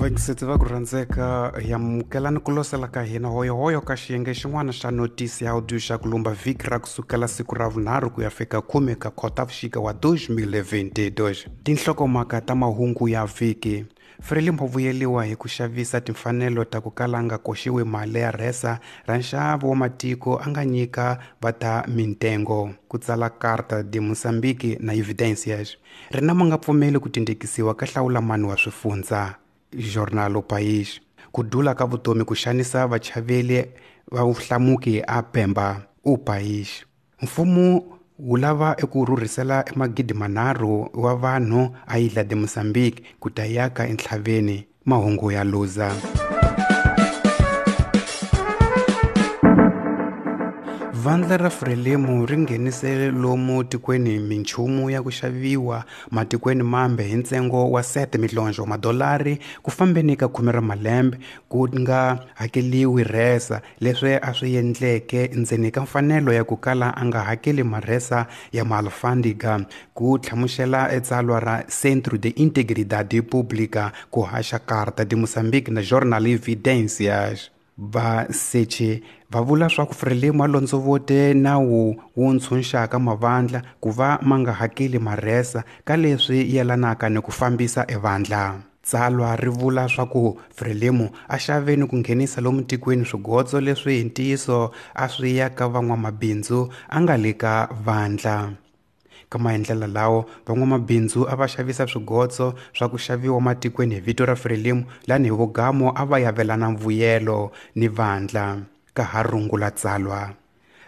Vayingiseti va ku rhandzeka, hi amukelani ku losela ka hina hoyohoyo ka xiyenge xin'wana xa notisi ya audio xa ku lumba vhiki ra kusukela siku ra vunharhu ku ya fika khume ka Khotavuxika wa 2022. Tinhlokomhaka ta mahungu ya vhiki. Frelimo vuyeliwa hi ku xavisa timfanelo ta ku kala nga koxiwi mali ya rhesa ra nxavo wa matiko a nga nyika va ta mintengo. Ku tsala Carta de Moçambique na Evidências. Rina ma nga pfumeli ku tindekisiwa ka hlawulamani wa swifundza. Jornal O País. Ku dula ka vutomi ku xanisa vachaveli va vuhlamuki a Pemba. O País. Mfumo wu lava eku rhurhisela 3,000 wa vanhu a Ilha de Moçambique ku ta yaka entlhaveni. Mahungu ya Luza. Vandla ra Frelimo ri nghenise lomu tikweni minchumu ya ku xaviwa matikweni mambe hi ntsengo wa 7 milonjo wa madolari ku fambeni ka khume ra malembe ku nga hakeliwi rhesa, leswi a swi endleke ndzeni ka mfanelo ya ku kala a nga hakeli marhesa ya maalfandiga, ku hlamusela etsalwa ra Centro de Integridade Pública ku haxa Carta de Moçambique na Jornal Evidências. Vasechi va vula swa ku Frelimo a londzovote nawu wu ntshunxaka mavandla ku va ma nga hakeli marhesa ka leswi yelanaka ni ku fambisa evandla. Tsalwa ri vula swa ku Frelimo a xave ni ku nghenisa lomu tikweni swigotso leswi hi ntiyiso a swi ya ka van'wamabindzu a nga le ka vandla. Ka maendlelo lawo, van'wamabindzu a va xavisa swigotso swa ku xaviwa matikweni hi vito ra Frelimo, lani hi vugamo a va yavelana mvuyelo ni vandla. Ka ha rungula tsalwa.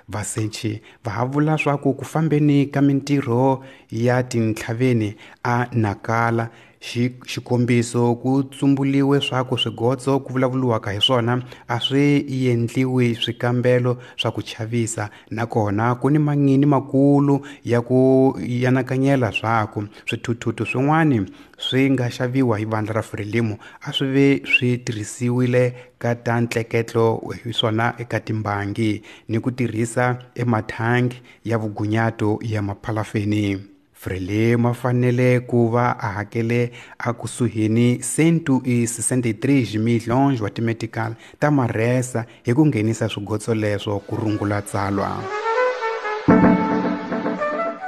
Vasechi va ha vula swa ku ku fambeni ka mintirho ya tintlhaveni a Nakala, xikombiso ku tsumbuliwe swa ku swigotso ku vulavuriwaka hi swona a swi endliwi swikambelo swa ku chavisa, nakona ku ni mangini makulu ya ku yanakanyela swa ku swithuthuthu swin'wani swi nga xaviwa hi vandla ra Frelimo a swi ve swi tirhisiwile ka ta ntleketlo hi swona eka timbangi ni ku tirhisa emathangi ya vugunyato ya maphalafeni. Frelimo a fanele ku va a hakele a kusuhini 163 milhões wa timetical ta marhesa hi ku nghenisa swigotso leswo ku rungula tsalwa.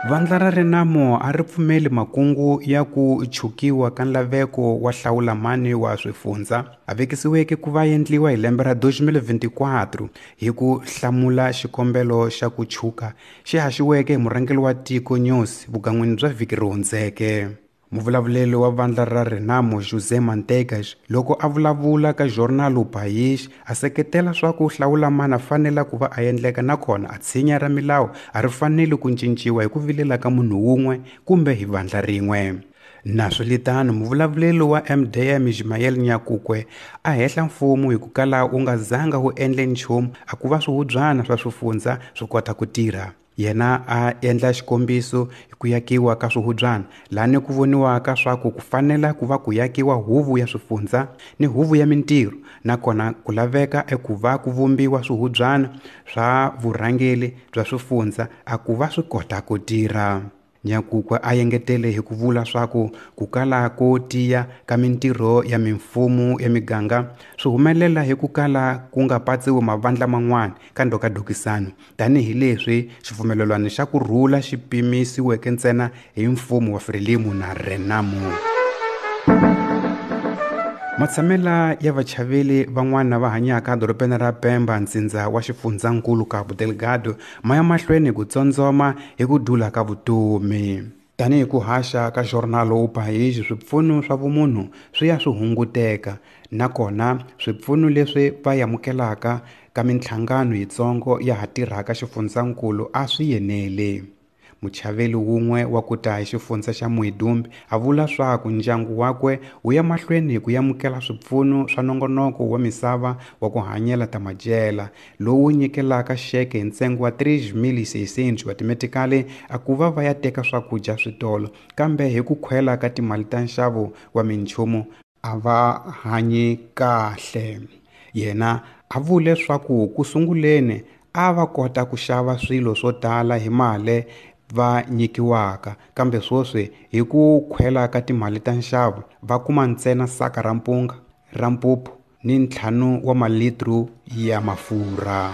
Vandla ra Renamo a ri pfumeli makungu ya ku chukiwa ka nlaveko wa hlawulamani wa swifundza a vekisiweke ku va endliwa hi lembe ra 2024 hi ku hlamula xikombelo xa ku chuka xi haxiweke hi murhangeri wa tiko News vugan'wini bya vhiki ri hundzeke. Muvulavuleli wa vandla ra Renamo José Manteigas loko a vulavula ka Jornal O País a seketela swa ku hlawulamani a fanela ku va a endleka, nakona a tshinya ra milawu a ri faneli ku cinciwa hi ku vilela ka munhu wun'we kumbe hi vandla rin'we. Naswilitano, muvulavuleli wa MDM Ismael Nyakukwe a hehla mfumo hi ku kala wu nga zanga wu endle nchumu a ku va swihubyana swa swifundza swi kota ku tirha. Yena a endla xikombiso hi ku yakiwa ka swihubyana, lani ku voniwaka swa ku ku fanela ku va ku yakiwa huvo ya swifundza ni huvo ya mintirho, nakona ku laveka eku va ku vumbiwa swihubyana swa vurhangeri bya swifundza a ku va swi kota ku tirha. Nyakukwe a engetele hi ku vula swa ku ku kala ko tiya ka mintirho ya mimfumo ya miganga swi humelela hi ku kala ku nga patsiwi mavandla man'wana ka ndhokadokisano, tanihileswi xipfumelelwano xa ku rhula xi pimisiweke ntsena hi mfumo wa Frelimo na Renamo. Matshamela ya vachaveli van'wana va hanyaka edorobeni ra Pemba, ntsindza wa xifundzankulu Cabo Delgado, ma ya mahlweni ku tsondzoma hi ku dula ka vutomi. Tanihi ku haxa ka Jornal O País, swipfuno swa vumunhu swi ya swi hunguteka, nakona swipfuno leswi va amukelaka ka minhlangano yitsongo ya ha tirhaka xifundzankulu a swi yeneli. Muchaveli wun'we wa ku ta hi xifundza xa Muidumbe a vula swa ku ndyangu wakwe wu ya mahlweni ku amukela swipfuno swa nongonoko wa misava wa ku hanyela ta madyela lowu nyikelaka xeke hi ntsengo wa 3600 wa timetikali a ku va va ya teka swakudya switolo, kambe hi ku khwela ka timali ta nxavo wa minchumu a va hanyi kahle. Yena a vule swa ku ku sunguleni a va kota ku xava swilo swo tala hi mali va nyikiwaka, kambe sweswi hi ku khwela ka timali ta nxavo va kuma ntsena saka ra mpunga ra mpupu ni 5 wa malitru ya mafurha.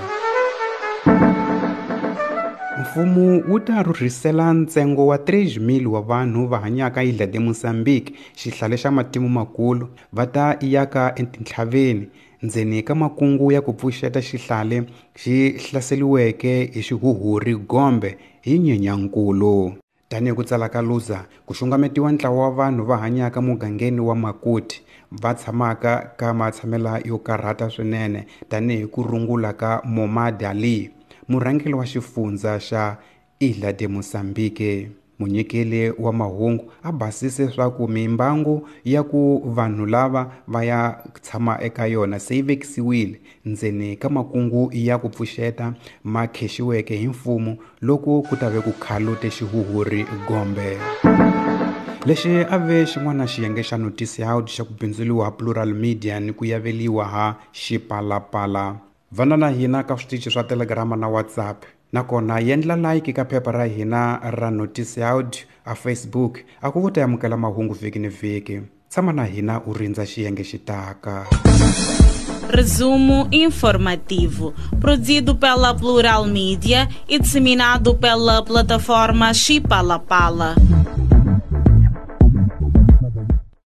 Mfumo wu ta rhurhisela ntsengo wa 3,000 wa vanhu va hanyaka Ilha de Moçambique, xihlale xa matimu makulu, va ta yaka etintlhaveni ndzeni ka makungu ya ku pfuxeta xihlale xi hlaseriweke hi xihuhuri Gombe hi Nyenyankulu. Tanihi ku tsala ka Lusa, ku xungametiwa ntlawa wa vanhu va hanyaka mugangeni wa Makuti, va tshamaka ka matshamela yo karhata swinene tanihi ku rungula ka Momad Ali, murhangeri wa xifundza xa Ilha de Moçambique. Munyikeli wa mahungu a basise swa ku mimbangu ya ku vanhu lava va ya tshama eka yona se yi vekisiwile ndzeni ka makungu ya ku pfuxeta ma khexiweke hi mfumo loko ku ta ve ku khalute xihuhuri Gombe. Lexi a ve xin'wana xiyenge xa Noticiado xa ku bindzuriwa Plural Media ni ku yaveliwa ha Xipalapala. Vana na hina ka switichi swa Telegram na WhatsApp. Nakona yendla like ka phepha ra hina ra Noticiado a Facebook a ku ta amukela mahungu vhiki ni vhiki. Tshama na hina u rindza xiyenge xitaka. Resumo informativo, produzido pela Plural Media e disseminado pela plataforma Xipalapala.